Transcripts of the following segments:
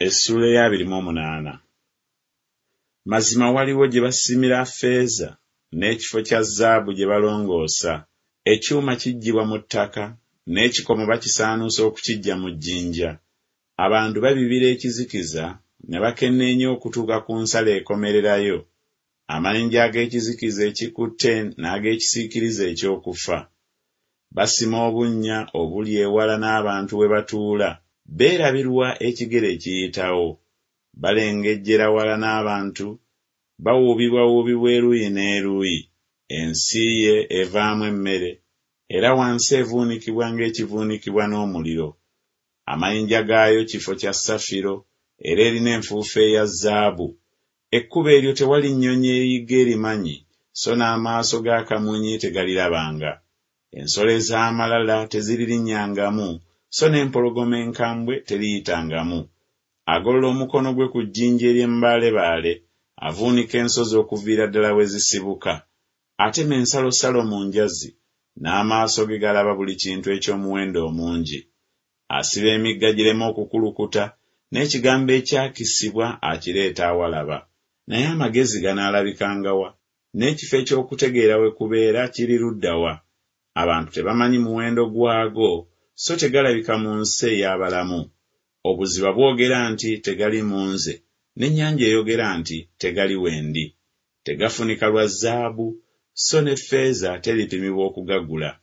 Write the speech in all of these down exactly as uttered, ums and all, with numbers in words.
Essuula ey'abiri mu omunaana. Mazima waliwo gye basimira ffeeza, n'ekifo kya zaabu gye balongoosa. Ekyuma kiggyibwa mu ttaka, n'ekikomo bakisaanuusa okukiggya mu jjinja. Abantu babibira ekizikiza, ne bakenneenya okutuuka ku nsalo ekomererayo, amayinja ag'ekizikiza ekikutte n'ag'ekisiikirize eky'okufa. Basima obunnya obuli ewala n'abantu we batuula, beerabirwa ekigere ekiyitawo. Balengejjera wala n'abantu, bawuubibwawuubibwa eruuyi n'eruuyi. Ensi ye evaamu emmere, era wansi evuunikibwa ng'ekivuunikibwa n'omuliro. Amayinja gaayo kifo kya safiro, era erina enfuufu eya zaabu. Ekkubo eryo tewali nnyonyi eyigga erimanyi, so n'amaaso ga kamunye tegalirabanga. Ensolo ez'amalala teziririnnyangamu, so n'empologoma enkambwe teriyitangamu. Agolola omukono gwe ku jjinja ery'embaalebaale, avuunika ensozi okuviira ddala we zisibuka. Atema ensalosalo mu njazi, n'amaaso ge galaba buli kintu eky'omuwendo omungi. Asiba emigga gireme okukulukuta, n'ekigambo ekyakisibwa akireeta awalaba. Naye amagezi ganaalabikanga wa? N'ekifo eky'okutegeera we kubeera kiri ludda wa? Abantu tebamanyi muwendo gwago, so tegalabika mu nsi ey'abalamu. Obuziba bwogera nti Tegali mu nze, n'ennyanja eyogera nti Tegali we ndi. Tegafunika lwa zaabu, so ne ffeeza teripimibwa okugagula.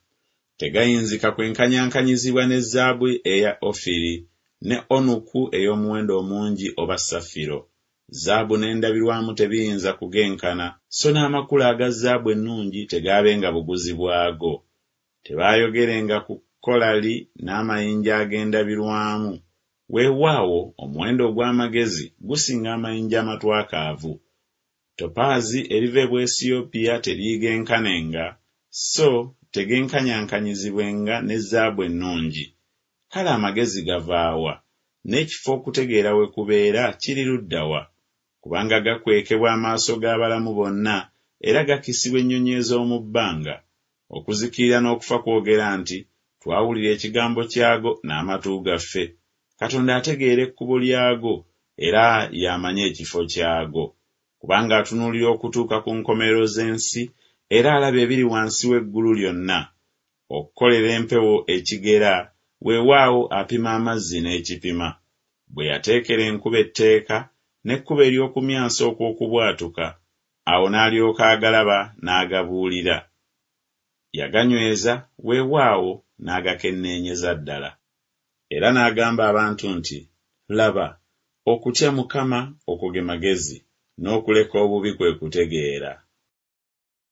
Tegayinzika kwenkanyankanyizibwa ne zaabu eya Ofiri, ne onuku ey'omuwendo omungi oba safiro. Zaabu n'endabirwamu tebiyinza kugenkana, so n'amakula aga zaabu ennungi tegaabenga buguzi bwago. Tebaayogerenga ku kolali n'amayinja ag'endabirwamu, weewaawo omuwendo ogw'amagezi gusinga amayinja amatwakaavu. Topaazi eriva e Bwesiyopya teriigenkanenga, so tegenkanyankanyizibwenga ne zaabu ennungi. Kale amagezi gava wa? N'ekifo okutegeera we kubeera kiri ludda wa? Kubanga gakwekebwa amaaso g'abalamu bonna, era gakisibwa ennyonyi ez'omu bbanga. Okuzikirira n'okufa kwogera nti Twawulira ekigambo kyago n'amatu gaffe. Katonda ategeera ekkubo lyago, era y'amanyi ekifo kyago. Kubanga atunuulira okutuuka ku nkomerero z'ensi, era alaba ebiri wansi w'eggulu lyonna. Okukolera empewo ekigera, weewaawo apima amazzi n'ekipima. Bwe yateekera enkuba etteeka, n'ekkubo ery'okumyansa okw'okubwatuka, awo n'alyoka agalaba n'agabuulira. Yaganyweza, weewaawo n'agakenneenyeza ddala. Era n'agamba abantu nti Laba, okutya Mukama, okwo ge magezi, n'okuleka obubi kwe kutegeera.